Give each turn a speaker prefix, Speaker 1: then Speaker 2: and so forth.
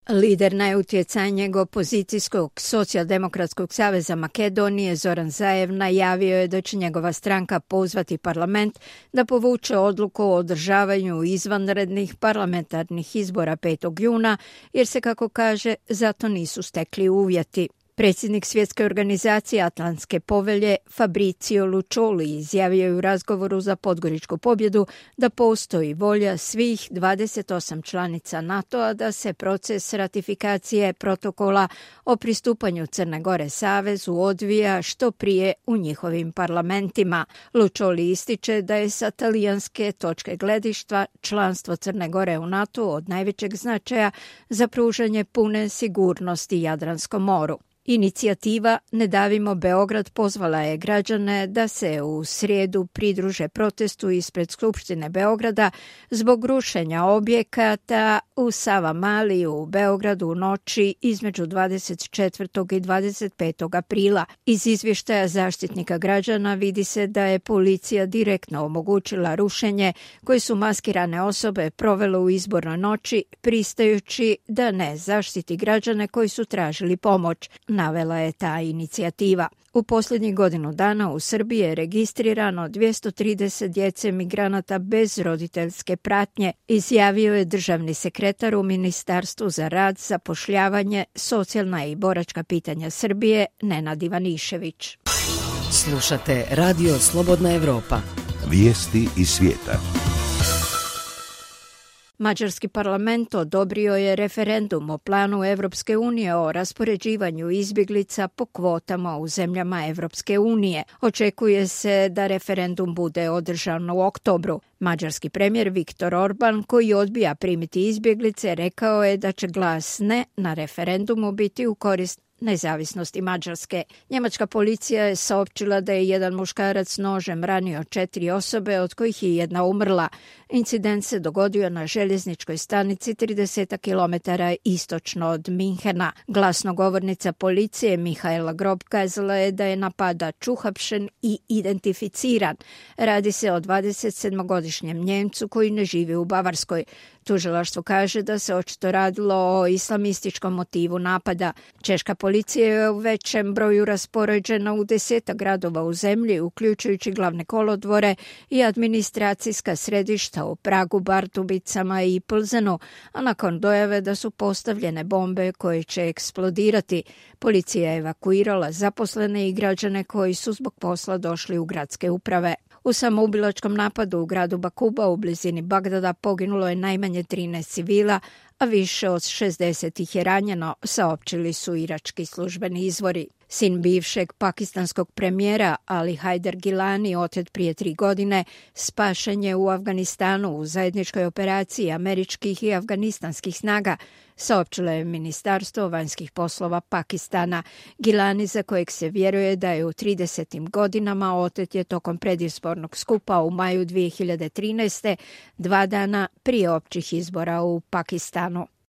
Speaker 1: Lider najutjecajnijeg opozicijskog socijaldemokratskog saveza Makedonije Zoran Zaev najavio je da će njegova stranka pozvati parlament da povuče odluku o održavanju izvanrednih parlamentarnih izbora 5. juna, jer se, kako kaže, zato nisu stekli uvjeti. Predsjednik Svjetske organizacije Atlantske povelje Fabrizio Luccioli izjavio je u razgovoru za Podgoričku pobjedu da postoji volja svih 28 članica NATO-a da se proces ratifikacije protokola o pristupanju Crne Gore savezu odvija što prije u njihovim parlamentima. Luccioli ističe da je sa talijanske točke gledišta članstvo Crne Gore u NATO od najvećeg značaja za pružanje pune sigurnosti Jadranskom moru. Inicijativa Ne davimo Beograd pozvala je građane da se u srijedu pridruže protestu ispred Skupštine Beograda zbog rušenja objekata u Savamali u Beogradu u noći između 24. i 25. aprila. Iz izvještaja zaštitnika građana vidi se da je policija direktno omogućila rušenje koje su maskirane osobe provele u izbornoj noći, pristajući da ne zaštiti građane koji su tražili pomoć, navela je ta inicijativa. U posljednjih godinu dana u Srbiji je registrirano 230 djece migranata bez roditeljske pratnje, izjavio je državni sekretar u Ministarstvu za rad, zapošljavanje, socijalna i boračka pitanja Srbije Nenad Ivanišević.
Speaker 2: Slušate Radio Slobodna Evropa.
Speaker 3: Vijesti iz svijeta.
Speaker 1: Mađarski parlament odobrio je referendum o planu Evropske unije o raspoređivanju izbjeglica po kvotama u zemljama Evropske unije. Očekuje se da referendum bude održan u oktobru. Mađarski premijer Viktor Orban, koji odbija primiti izbjeglice, rekao je da će glas ne na referendumu biti u korist nezavisnosti Mađarske. Njemačka policija je saopćila da je jedan muškarac nožem ranio 4 osobe, od kojih je jedna umrla. Incident se dogodio na željezničkoj stanici 30 km istočno od Minhena. Glasnogovornica policije Mihaela Grob kazala je da je napadač uhapšen i identificiran. Radi se o 27-godišnjem Njemcu koji ne živi u Bavarskoj. Tužilaštvo kaže da se očito radilo o islamističkom motivu napada. Češka policija je u većem broju raspoređena u 10 gradova u zemlji, uključujući glavne kolodvore i administracijska središta u Pragu, Bardubicama i Plzenu, a nakon dojave da su postavljene bombe koje će eksplodirati, policija je evakuirala zaposlene i građane koji su zbog posla došli u gradske uprave. U samoubilačkom napadu u gradu Bakuba u blizini Bagdada poginulo je najmanje 13 civila, a više od 60 ih je ranjeno, saopćili su irački službeni izvori. Sin bivšeg pakistanskog premijera Ali Haider Gilani, otet prije 3 godine, spašen je u Afganistanu u zajedničkoj operaciji američkih i afganistanskih snaga, saopćilo je Ministarstvo vanjskih poslova Pakistana. Gilani, za kojeg se vjeruje da je u 30. godinama, otet je tokom predizbornog skupa u maju 2013. 2 dana prije općih izbora u Pakistanu.